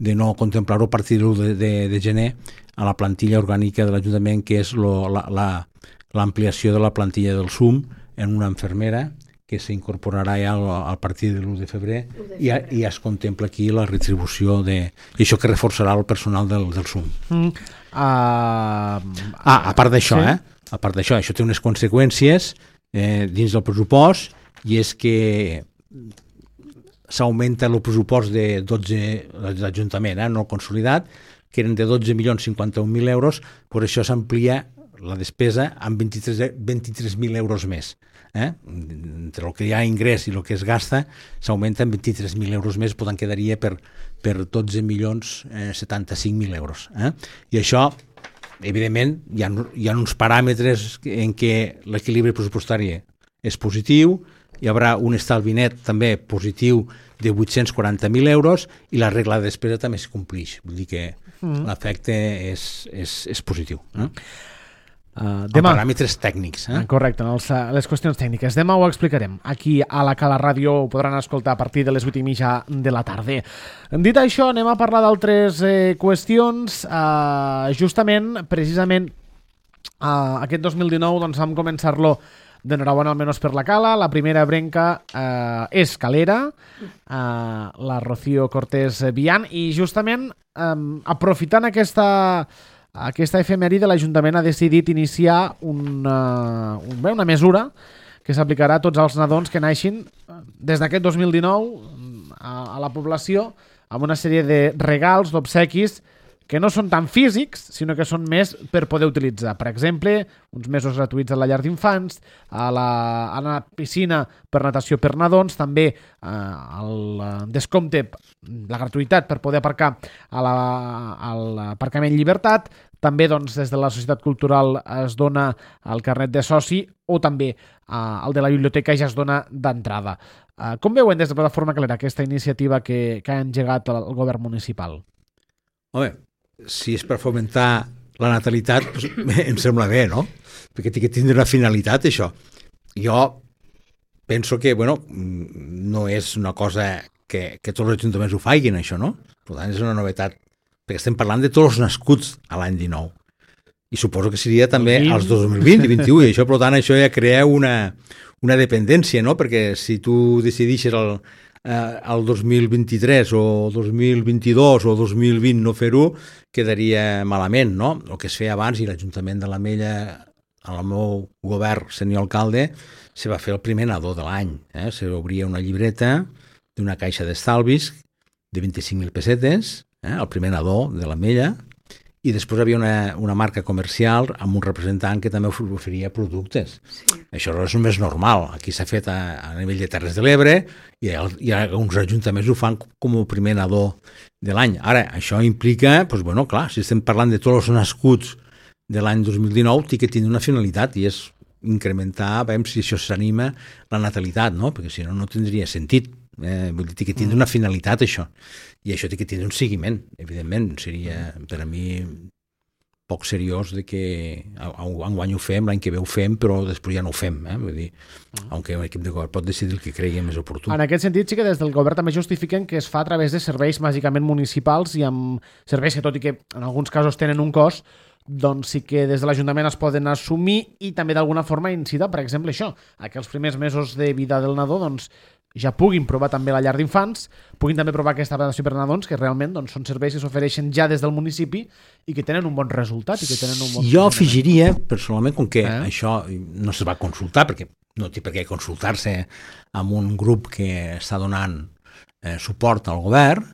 [SPEAKER 2] de no contemplar-ho a partir de l'u de, de, de gener a la plantilla orgànica de l'Ajuntament, que és l'ampliació de la plantilla del S U M en una infermera que s'incorporarà ja al, al partir de l'u de febrer, de febrer. I, ja, i ja es contempla aquí la retribució de... I això que reforçarà el personal del, del S U M. Mm. Uh, ah, a part d'això, sí. eh? A part d'això, això té unes conseqüències eh, dins del pressupost, i és que s'augmenta el pressupost de dotze de l'Ajuntament, eh, no consolidat, que eren de dotze milions cinquanta-un mil euros, per això s'amplia la despesa amb vint-i-tres mil euros més. Eh? Entre el que hi ha ingrés i el que es gasta, s'augmenta en vint-i-tres mil euros més, per tant quedaria per, per dotze milions setanta-cinc mil euros. Eh? I això, evidentment, hi ha, hi ha uns paràmetres en què l'equilibri pressupostari és positiu, hi haurà un estalvi net també positiu de vuit-cents quaranta mil euros, i la regla de despesa també es complix. Vull dir que mm. l'efecte és, és, és positiu. Eh? Uh, demà... paràmetres tècnics. Eh?
[SPEAKER 1] Correcte, en els, les qüestions tècniques. Demà ho explicarem. Aquí a la Cala Ràdio ho podran escoltar a partir de les vuit i mitja de la tarda. Dit això, anem a parlar d'altres eh, qüestions. Uh, justament, precisament, uh, aquest dos mil dinou doncs, vam començar-lo d'enhorabona almenys per la Cala. La primera brenca eh, és Calera, eh, la Rocío Cortés Vian, i justament eh, aprofitant aquesta, aquesta efemèride, l'Ajuntament ha decidit iniciar una, una mesura que s'aplicarà a tots els nadons que naixin des d'aquest dos mil dinou a, a la població, amb una sèrie de regals, d'obsequis, que no són tan físics, sinó que són més per poder utilitzar. Per exemple, uns mesos gratuïts a la llar d'infants, a la, a la piscina per natació per nadons, també eh, el descompte, la gratuïtat per poder aparcar a la, a l'aparcament Llibertat, també doncs, des de la Societat Cultural es dona el carnet de soci, o també eh, el de la biblioteca ja es dona d'entrada. Eh, com veuen des de la Plataforma Calera aquesta iniciativa que, que ha engegat el, el govern municipal?
[SPEAKER 2] Home, si és per fomentar la natalitat, doncs, em sembla bé, no? Perquè té que tindre una finalitat, això. Jo penso que, bueno, no és una cosa que, que tots els ajuntaments ho faiguin, això, no? Per tant, és una novetat, perquè estem parlant de tots els nascuts a l'any dinou. I suposo que seria també als dos mil vint i vint-i-u, i això, per tant, això ja crea una, una dependència, no? Perquè si tu decidixes el el dos mil vint-i-tres o dos mil vint-i-dos o dos mil vint no fer-ho, quedaria malament, no? El que es feia abans, i l'Ajuntament de l'Ametlla, al meu govern, senyor alcalde, se va fer el primer nadó de l'any. Eh? Se obria una llibreta d'una caixa d'estalvis de vint-i-cinc mil pessetes, eh? el primer nadó de l'Ametlla, i després hi havia una, una marca comercial amb un representant que també oferia productes. Sí. Això és el més normal. Aquí s'ha fet a, a nivell de Terres de l'Ebre, i hi ha, hi ha uns ajuntaments ho fan com el primer nadó de l'any. Ara, això implica, doncs, bueno, clar, si estem parlant de tots els nascuts de l'any dos mil dinou, té que tenir una finalitat, i és incrementar, veiem si això s'anima la natalitat, no? Perquè si no, no tindria sentit. Eh, vull dir, té que tindre una finalitat, això, i això té que tindre un seguiment. Evidentment, seria per a mi poc seriós de que enguany ho fem, l'any que ve ho fem, però després ja no ho fem, eh? Vull dir, aunque l'equip de govern pot decidir el que cregui més oportú.
[SPEAKER 1] En aquest sentit, sí que des del govern també justifiquen que es fa a través de serveis bàsicament municipals, i amb serveis que, tot i que en alguns casos tenen un cost, doncs sí que des de l'Ajuntament es poden assumir, i també d'alguna forma incitar, per exemple, això, a que els primers mesos de vida del nadó doncs ja puguin provar també la llar d'infants, puguin també provar aquesta ordenació per nadons, que realment doncs, són serveis que s'ofereixen ja des del municipi i que tenen un bon resultat. I que tenen un bon
[SPEAKER 2] jo afegiria, personalment, com que
[SPEAKER 1] eh? això
[SPEAKER 2] no se va consultar, perquè no té per què consultar-se amb un grup que està donant eh, suport al govern,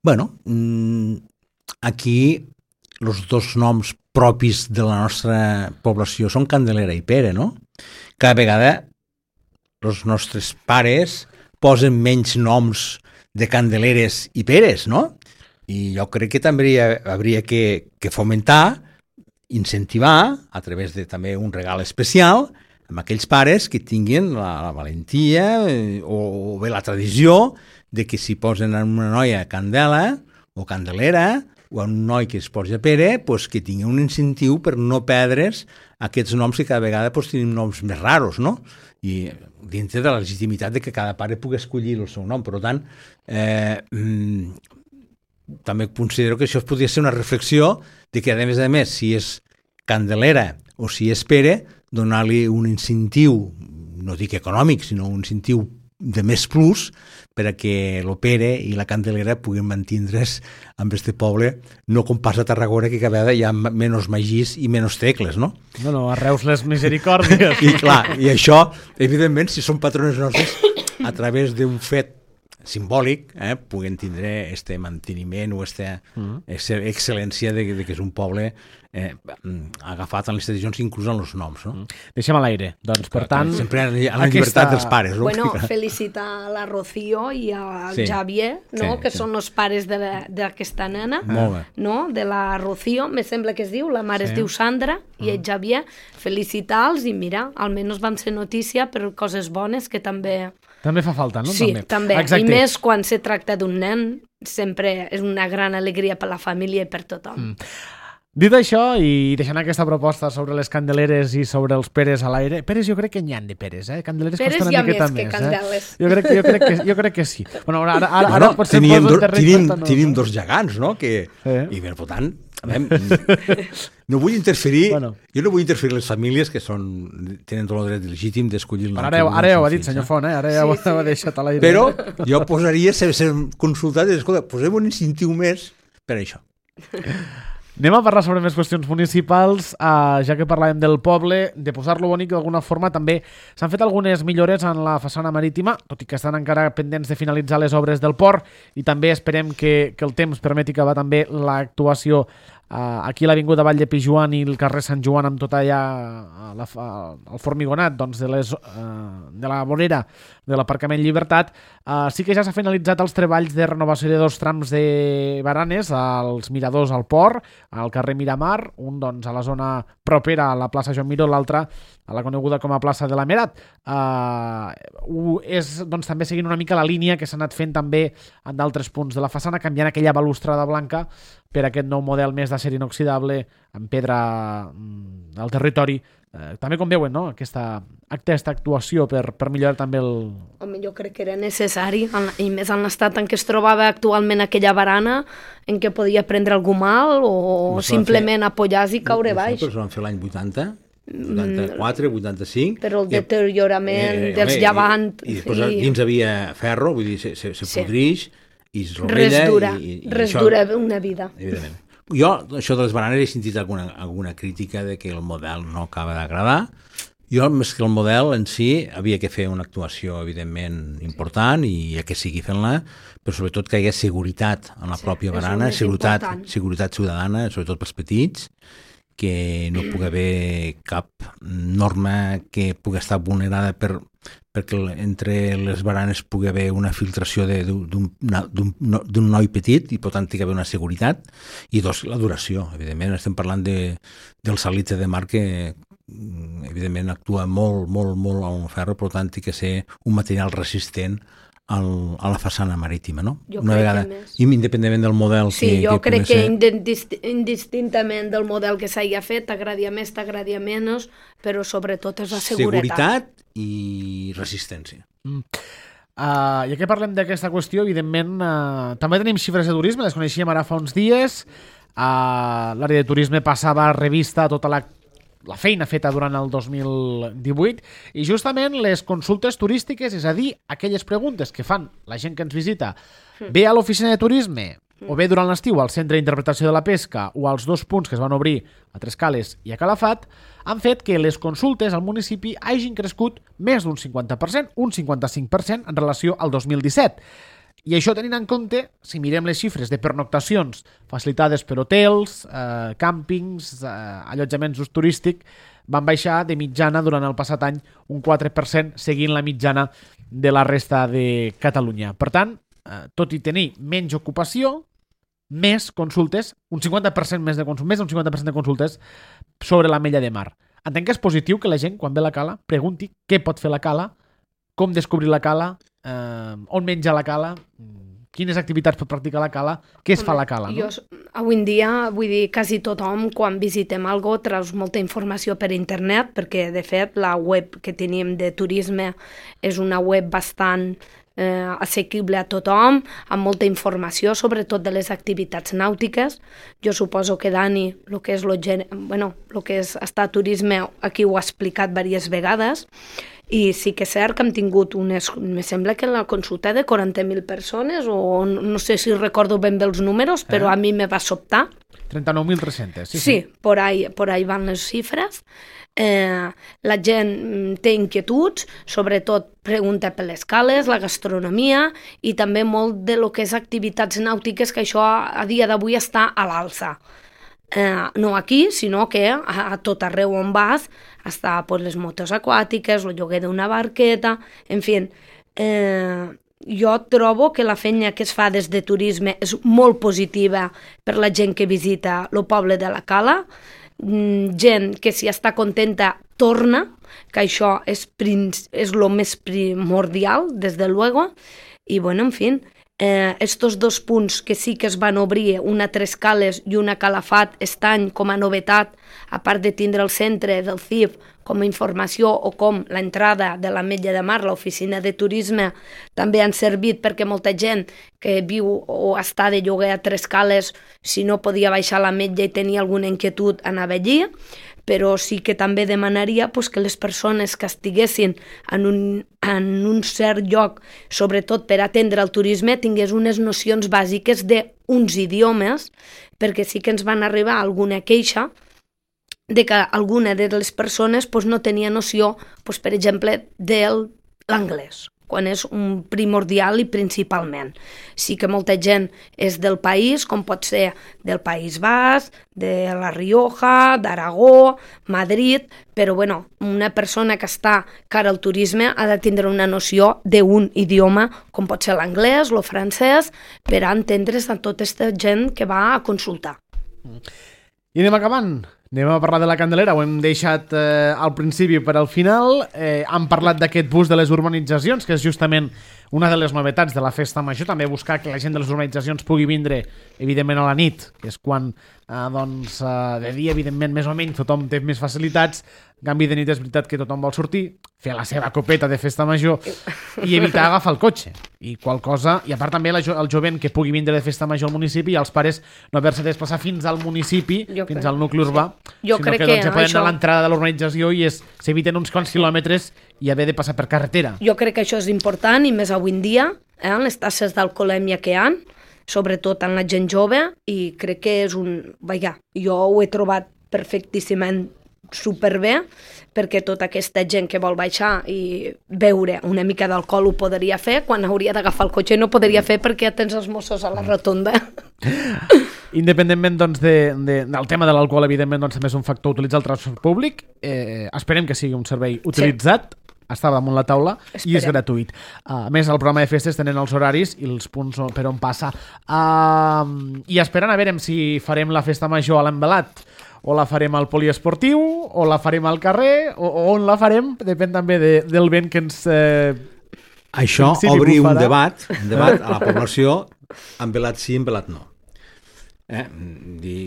[SPEAKER 2] bueno, aquí els dos noms propis de la nostra població són Candelera i Pere, no? Cada vegada els nostres pares posen menys noms de Candeleres i Peres, no? I jo crec que també hauria, hauria que, que fomentar, incentivar, a través de també un regal especial, amb aquells pares que tinguin la, la valentia eh, o, o bé la tradició de que si posen en una noia Candela o Candelera o un noi que es posa Pere, pues que tingui un incentiu per no perdre's aquests noms que cada vegada pues, tenim noms més raros, no? I dintre de la legitimitat de que cada pare pugui escollir el seu nom. Per tant, eh, mm, també considero que això podria ser una reflexió de que, a més a més, si és Candelera o si és Pere, donar-li un incentiu, no dic econòmic, sinó un incentiu de més plus per a que el Pere i la Candelera puguin mantindre's amb este poble, no com passa a Tarragona, que cada vegada hi ha menys magís i menys tecles, no?
[SPEAKER 1] No, no, a Reus les misericòrdies.
[SPEAKER 2] I clar, i això, evidentment, si són patrones nostres, a través d'un fet simbòlic, eh, puguen tindre este manteniment o esta mm. excel·lència de, de que és un poble eh, agafat en les tradicions, inclús en els noms. No?
[SPEAKER 1] Mm. Deixem a l'aire. Doncs, per tant...
[SPEAKER 2] Sempre a la aquesta... llibertat dels pares. No?
[SPEAKER 3] Bueno, felicitar a la Rocío i al
[SPEAKER 2] sí.
[SPEAKER 3] Javier, no?
[SPEAKER 2] Sí,
[SPEAKER 3] que
[SPEAKER 2] sí.
[SPEAKER 3] són els pares d'aquesta nena,
[SPEAKER 2] Molt bé.
[SPEAKER 3] no? De la Rocío, me sembla que es diu, la mare sí. es diu Sandra, i el Javier, felicitar-los i mira, almenys van ser notícia per coses bones que també...
[SPEAKER 1] També fa falta, no?
[SPEAKER 3] Sí,
[SPEAKER 1] també.
[SPEAKER 3] també. I més quan se tracta d'un nen, sempre és una gran alegria per la família i per tothom. Mm.
[SPEAKER 1] Dit això, i deixant aquesta proposta sobre les Candeleres i sobre els Peres a l'aire, Peres jo crec que n'hi ha de Peres, eh? Candeleres
[SPEAKER 3] Peres
[SPEAKER 1] costa una miqueta
[SPEAKER 3] més. Peres hi ha més que Candeles.
[SPEAKER 1] Eh? Jo, crec, jo, crec que, jo crec que sí. Bueno, ara, ara, ara,
[SPEAKER 2] bueno,
[SPEAKER 1] ara potser
[SPEAKER 2] tenim,
[SPEAKER 1] poso
[SPEAKER 2] do,
[SPEAKER 1] terreny
[SPEAKER 2] tenim,
[SPEAKER 1] no,
[SPEAKER 2] tenim
[SPEAKER 1] no?
[SPEAKER 2] dos gegants, no? Que,
[SPEAKER 1] sí.
[SPEAKER 2] I per tant, a veure, no vull interferir, bueno. jo no vull interferir les famílies que són, tenen tot el dret legítim d'escollir el nom.
[SPEAKER 1] Ara, ara ja ho ha dit, senyor Font, eh? Ara ja sí, ho sí. ha deixat a l'aire.
[SPEAKER 2] Però jo posaria, ser, ser consultat, i escolta, posem un incentiu més per això.
[SPEAKER 1] Anem a parlar sobre més qüestions municipals, uh, ja que parlàvem del poble, de posar-lo bonic d'alguna forma. També s'han fet algunes millores en la façana marítima, tot i que estan encara pendents de finalitzar les obres del port, i també esperem que, que el temps permeti que va també l'actuació uh, aquí a l'Avinguda Vall de Pijuan i el carrer Sant Joan, amb tot allà uh, la, uh, el formigonat doncs, de, les, uh, de la vorera de l'aparcament Llibertat. Uh, sí que ja s'ha finalitzat els treballs de renovació de dos trams de baranes als miradors al port, al carrer Miramar, un doncs, a la zona propera a la plaça Joan Miró, l'altre a la coneguda com a plaça de la Merat. Uh, és doncs, també seguint una mica la línia que s'ha anat fent també en d'altres punts de la façana, canviant aquella balustrada blanca per aquest nou model més d'acer inoxidable en pedra mm, al territori. Eh, també com veuen, no? aquesta, aquesta actuació per, per millorar també el...
[SPEAKER 3] Home, jo crec que era necessari, i més en l'estat en què es trobava actualment aquella barana, en què podia prendre algú mal o no simplement fer... apoyar-se i caure no, baix.
[SPEAKER 2] Nosaltres ho vam fer l'any vuitanta, vuitanta-quatre, vuitanta-cinc...
[SPEAKER 3] Però el deteriorament eh, dels llevant...
[SPEAKER 2] I, i després i... dins havia ferro, vull dir, se, se, se sí. podrix i es rovella...
[SPEAKER 3] Res dura,
[SPEAKER 2] i, i
[SPEAKER 3] res
[SPEAKER 2] això,
[SPEAKER 3] dura una vida.
[SPEAKER 2] Evidentment. Jo, això de les bananes, he sentit alguna, alguna crítica de que el model no acaba d'agradar. Jo, més que el model en si, havia que fer una actuació, evidentment, important, i ja que sigui fent-la, però sobretot que hi hagués seguretat en la sí, pròpia barana, seguretat, seguretat ciutadana, sobretot pels petits, que no pugui haver cap norma que pugui estar vulnerada per, perquè entre les baranes pugui haver una filtració d'un noi petit i per tant hi ha d'haver una seguretat, i dos, la duració. Evidentment estem parlant de, del salitre de mar que evidentment actua molt, molt, molt en el ferro, per tant hi ha que ser un material resistent al, a la façana marítima, no?
[SPEAKER 3] Jo
[SPEAKER 2] una vegada, independentment del model
[SPEAKER 3] sí,
[SPEAKER 2] que,
[SPEAKER 3] jo
[SPEAKER 2] que
[SPEAKER 3] crec que
[SPEAKER 2] ser...
[SPEAKER 3] indistintament del model que s'hagi fet, t'agradia més, t'agradia menys, però sobretot és la seguretat.
[SPEAKER 2] Seguretat i resistència.
[SPEAKER 1] Mm. Uh, ja que parlem d'aquesta qüestió, evidentment, uh, també tenim xifres de turisme, les coneixíem ara fa uns dies. Uh, l'àrea de turisme passava a revista tota la la feina feta durant el dos mil divuit i justament les consultes turístiques, és a dir, aquelles preguntes que fan la gent que ens visita, ve a l'oficina de turisme o bé durant l'estiu al centre d'interpretació de la pesca o als dos punts que es van obrir a Trescales i a Calafat, han fet que les consultes al municipi hagin crescut més d'un cinquanta per cent, un cinquanta-cinc per cent en relació al dos mil disset. I això tenint en compte, si mirem les xifres de pernoctacions facilitades per hotels, eh, càmpings, eh, allotjaments d'ús turístic, van baixar de mitjana durant el passat any un quatre per cent, seguint la mitjana de la resta de Catalunya. Per tant, eh, tot i tenir menys ocupació, més consultes, un cinquanta per cent més de consultes, més d'un cinquanta per cent de consultes sobre l'Ametlla de Mar. Entenc que és positiu que la gent, quan ve a la cala, pregunti què pot fer la cala, com descobrir la cala, eh, on menja la cala, quines activitats pot practicar la cala, què es fa a la cala. No?
[SPEAKER 3] Jo, avui en dia, vull dir, quasi tothom, quan visitem algo, treus molta informació per internet, perquè, de fet, la web que tenim de turisme és una web bastant eh, assequible a tothom, amb molta informació, sobretot de les activitats nàutiques. Jo suposo que Dani, el que és, lo, bueno, lo que és estar a turisme, aquí ho ha explicat diverses vegades, i sí que és cert que hem tingut unes, me sembla que la consulta de quaranta mil persones, o no sé si recordo ben bé els números, però eh? a mi me va sobtar.
[SPEAKER 1] trenta-nou mil tres-cents, sí, sí.
[SPEAKER 3] Sí, por ahí, por ahí van les xifres. Eh, la gent té inquietuds, sobretot pregunta per les cales, la gastronomia i també molt de lo que és activitats nàutiques, que això a dia d'avui està a l'alça. Eh, no aquí, sinó que a, a tot arreu on vas està pues, les motos aquàtiques, el lloguer d'una barqueta, en fi. Eh, jo trobo que la feina que es fa des de turisme és molt positiva per la gent que visita el poble de la Cala, mm, gent que si està contenta torna, que això és, és lo més primordial, des de luego, i bueno, en fi, Eh, estos dos punts que sí que es van obrir, una Trescales i una Calafat, estany com a novetat, a part de tindre el centre del C I F com a informació o com l'entrada de l'Ametlla de Mar, l'oficina de turisme, també han servit perquè molta gent que viu o està de lloguer a Trescales, si no podia baixar a l'Ametlla i tenia alguna inquietud, anava allí, però sí que també demanaria pues, que les persones que estiguessin en un, en un cert lloc, sobretot per atendre el turisme, tingués unes nocions bàsiques d'uns idiomes, perquè sí que ens van arribar alguna queixa de que alguna de les persones pues, no tenia noció, pues, per exemple, de l'anglès, quan és un primordial i principalment. Sí que molta gent és del país, com pot ser del País Basc, de La Rioja, d'Aragó, Madrid, però bueno, una persona que està cara al turisme ha de tindre una noció d'un idioma, com pot ser l'anglès, el francès, per entendre's a tota aquesta gent que va a consultar.
[SPEAKER 1] I anem acabant. Anem a parlar de la Candelera, ho hem deixat eh, al principi per al final. Eh, hem parlat d'aquest bus de les urbanitzacions, que és justament una de les novetats de la Festa Major, també buscar que la gent de les urbanitzacions pugui vindre, evidentment, a la nit, que és quan, eh, doncs, eh, de dia, evidentment, més o menys, tothom té més facilitats. En canvi, de nit és veritat que tothom vol sortir, fer la seva copeta de Festa Major i evitar agafar el cotxe. I qual cosa, i a part també la, el jovent que pugui vindre de Festa Major al municipi i els pares no haver-se de desplaçar fins al municipi,
[SPEAKER 3] jo
[SPEAKER 1] fins
[SPEAKER 3] crec.
[SPEAKER 1] al nucli urbà,
[SPEAKER 3] Jo
[SPEAKER 1] sinó
[SPEAKER 3] crec
[SPEAKER 1] que, doncs,
[SPEAKER 3] que
[SPEAKER 1] ja poden
[SPEAKER 3] això...
[SPEAKER 1] anar a l'entrada de l'urbanització i s'eviten uns quants quilòmetres i haver de passar per carretera.
[SPEAKER 3] Jo crec que això és important, i més avui en dia, eh, les tasses d'alcoholèmia que hi ha, sobretot en la gent jove, i crec que és un... Vaja, jo ho he trobat perfectíssimament superbé, perquè tota aquesta gent que vol baixar i beure una mica d'alcohol ho podria fer, quan hauria d'agafar el cotxe no podria fer perquè tens els Mossos a la rotonda.
[SPEAKER 1] Independentment doncs, de, de, del tema de l'alcohol, evidentment doncs, també és un factor utilitzar el transport públic. Eh, esperem que sigui un servei utilitzat, sí. Està damunt la taula. Esperem. I és gratuït. A més, el programa de festes tenen els horaris i els punts per on passa. Uh, I esperant a veure si farem la Festa Major a l'Envelat, o la farem al poliesportiu, o la farem al carrer, o, o on la farem, depèn també de, del vent que ens... Eh,
[SPEAKER 2] Això obri un debat, un debat a la població, envelat sí, envelat no. Eh?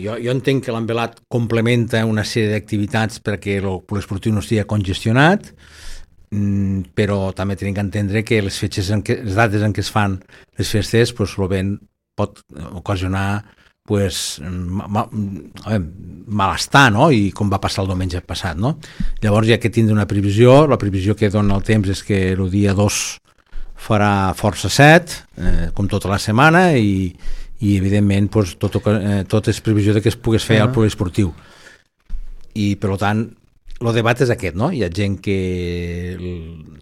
[SPEAKER 2] Jo, jo entenc que l'envelat complementa una sèrie d'activitats perquè el poliesportiu no estigui congestionat, però també tenim que entendre que les fetges en què, les dates en què es fan les festes, pues, el vent pot ocasionar pues, mal, malestar, no? I com va passar el diumenge passat, no? Llavors, ja que tindré una previsió, la previsió que dona el temps és que el dia dos farà força set, eh, com tota la setmana, i, i evidentment, pues, tot, eh, tot és previsió de que es pogués fer uh-huh. al poliesportiu. I, per tant, el debat és aquest, no? Hi ha gent que,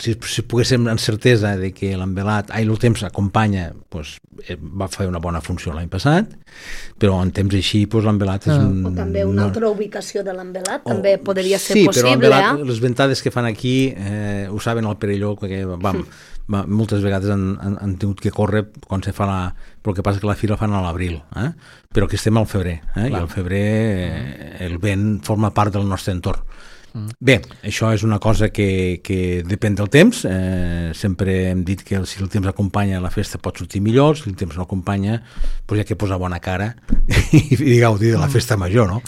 [SPEAKER 2] si, si poguéssim amb certesa de que l'envelat, ai, el temps acompanya, pues, va fer una bona funció l'any passat, però en temps així, pues, l'envelat és un...
[SPEAKER 3] O també una no... altra ubicació de l'envelat, o... també podria ser
[SPEAKER 2] sí,
[SPEAKER 3] possible.
[SPEAKER 2] Sí, però
[SPEAKER 3] eh?
[SPEAKER 2] les ventades que fan aquí eh, ho saben al Perelló, perquè vam, va, moltes vegades han, han, han tingut que córrer quan se fa la... Però el que passa que la fira la fan a l'abril, eh? Però que estem al febrer, eh? I al febrer eh, el vent forma part del nostre entorn. Bé, això és una cosa que, que depèn del temps. Eh, sempre hem dit que si el temps acompanya la festa pot sortir millor, si el temps no acompanya, doncs hi ha que posar bona cara i, i gaudir de la festa major, no?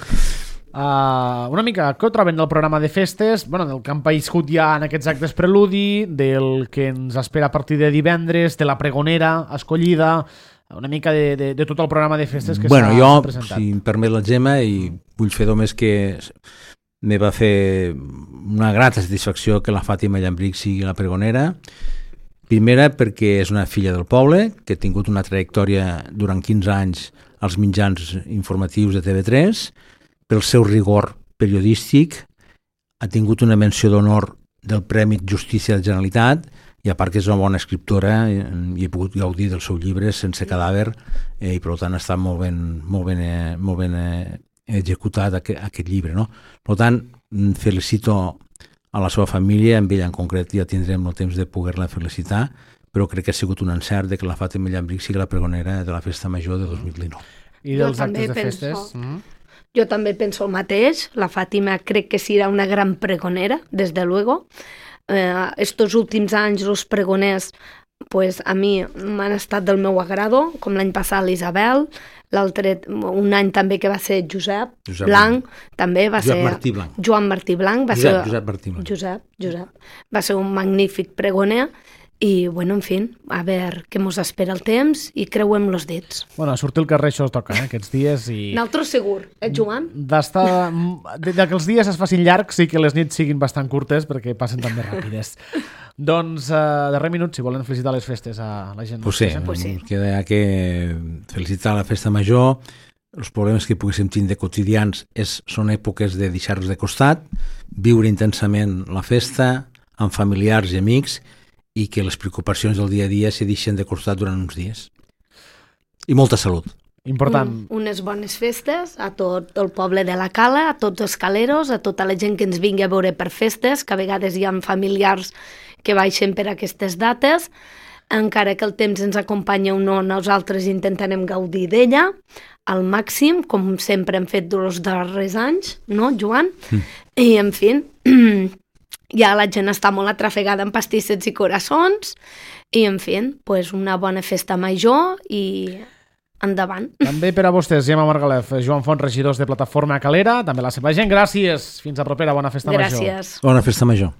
[SPEAKER 1] Uh, una mica, què troben del programa de festes, bueno, del que han païscut ja en aquests actes preludi, del que ens espera a partir de divendres, de la pregonera escollida, una mica de, de, de tot el programa de festes que
[SPEAKER 2] bueno,
[SPEAKER 1] s'ha
[SPEAKER 2] jo,
[SPEAKER 1] presentat.
[SPEAKER 2] Si em permet la Gemma, i vull fer només que me va fer una grata satisfacció que la Fàtima Llambric sigui la pregonera. Primera, perquè és una filla del poble, que ha tingut una trajectòria durant quinze anys als mitjans informatius de T V tres, pel seu rigor periodístic, ha tingut una menció d'honor del Premi Justícia de la Generalitat, i a part que és una bona escriptora, i he pogut gaudir del seu llibre Sense cadàver, eh, i per tant ha estat molt ben, molt ben, eh, molt ben eh, executat aquest, aquest llibre, no? Per tant, felicito a la seva família, amb ella en concret ja tindrem el temps de poder-la felicitar, però crec que ha sigut un encert de que la Fàtima Llambric sigui la pregonera de la Festa Major de dos mil dinou.
[SPEAKER 1] I dels actes de penso, festes? Mm-hmm.
[SPEAKER 3] Jo també penso el mateix, la Fàtima crec que serà una gran pregonera, des de luego. Eh, estos últims anys els pregoners pues, a mi m'han estat del meu agrado, com l'any passat l'Isabel, l'altre, un any també que va ser Josep, Josep Blanc, Blanc, també va
[SPEAKER 2] Josep
[SPEAKER 3] ser...
[SPEAKER 2] Martí Blanc.
[SPEAKER 3] Joan Martí Blanc. Va
[SPEAKER 2] Josep,
[SPEAKER 3] ser,
[SPEAKER 2] Josep Martí Blanc.
[SPEAKER 3] Josep, Josep. Va ser un magnífic pregoner i, bueno, en fi, a veure què mos espera el temps i creuem los dits.
[SPEAKER 1] Bueno, a sortir al carrer això es toca, eh, aquests dies i...
[SPEAKER 3] Nosaltres segur, eh, Joan?
[SPEAKER 1] D'estar... De, de que els dies es facin llargs i que les nits siguin bastant curtes perquè passen també ràpides. Doncs, uh, darrer minut, si volen felicitar les festes a la gent.
[SPEAKER 2] Pues sí,
[SPEAKER 3] pues sí.
[SPEAKER 2] Queda que felicitar la festa major. Els problemes que poguéssim tindre quotidians és, són èpoques de deixar-los de costat, viure intensament la festa amb familiars i amics i que les preocupacions del dia a dia se deixen de costat durant uns dies. I molta salut.
[SPEAKER 1] Important.
[SPEAKER 3] Un, unes bones festes a tot el poble de la Cala, a tots els caleros, a tota la gent que ens vingui a veure per festes, que a vegades hi ha familiars que baixen per aquestes dates. Encara que el temps ens acompanya o no, nosaltres intentarem gaudir d'ella al màxim, com sempre hem fet els darrers anys, no, Joan? Mm. I, en fi, ja la gent està molt atrafegada en pastissets i coraçons, i, en fi, pues una bona festa major i endavant.
[SPEAKER 1] També per a vostès, Gemma Margalef, Joan Font, regidors de Plataforma Calera, també la seva gent. Gràcies. Fins a propera. Bona festa major.
[SPEAKER 3] Gràcies.
[SPEAKER 2] Bona festa major.